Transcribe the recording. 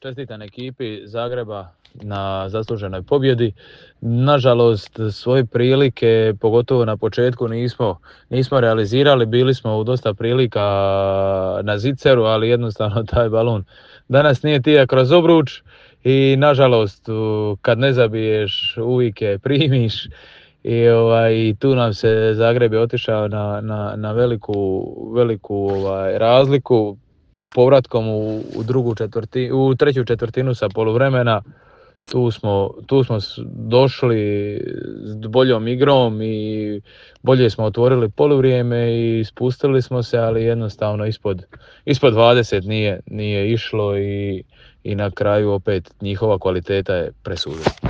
čestitam ekipi Zagreba na zasluženoj pobjedi. Nažalost, svoje prilike, pogotovo na početku, nismo realizirali. Bili smo u dosta prilika na ziceru, ali jednostavno taj balon danas nije tija kroz obruč i nažalost kad ne zabiješ uvijek je primiš. I tu nam se Zagreb je otišao na veliku razliku povratkom u treću četvrtinu sa poluvremena. Tu smo došli s boljom igrom i bolje smo otvorili poluvrijeme i spustili smo se, ali jednostavno ispod 20 nije išlo i na kraju opet njihova kvaliteta je presudila.